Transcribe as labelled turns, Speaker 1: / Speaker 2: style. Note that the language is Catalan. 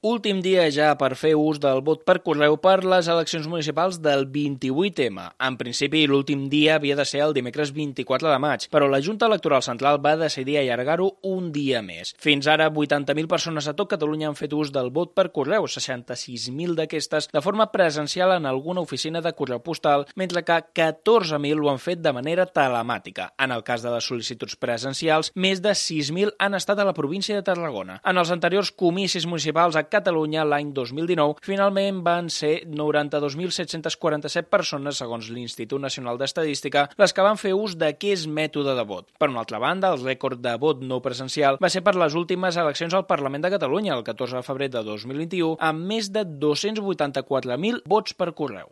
Speaker 1: Últim dia ja per fer ús del vot per correu per les eleccions municipals del 28M. En principi, l'últim dia havia de ser el dimecres 24 de maig, però la Junta Electoral Central va decidir allargar-ho un dia més. Fins ara, 80.000 persones a tot Catalunya han fet ús del vot per correu, 66.000 d'aquestes de forma presencial en alguna oficina de correu postal, mentre que 14.000 ho han fet de manera telemàtica. En el cas de les sol·licituds presencials, més de 6.000 han estat a la província de Tarragona. En els anteriors comicis municipals a Catalunya l'any 2019, finalment van ser 92.747 persones, segons l'Institut Nacional d'Estadística, les que van fer ús d'aquest mètode de vot. Per una altra banda, el rècord de vot no presencial va ser per les últimes eleccions al Parlament de Catalunya, el 14 de febrer de 2021, amb més de 284.000 vots per correu.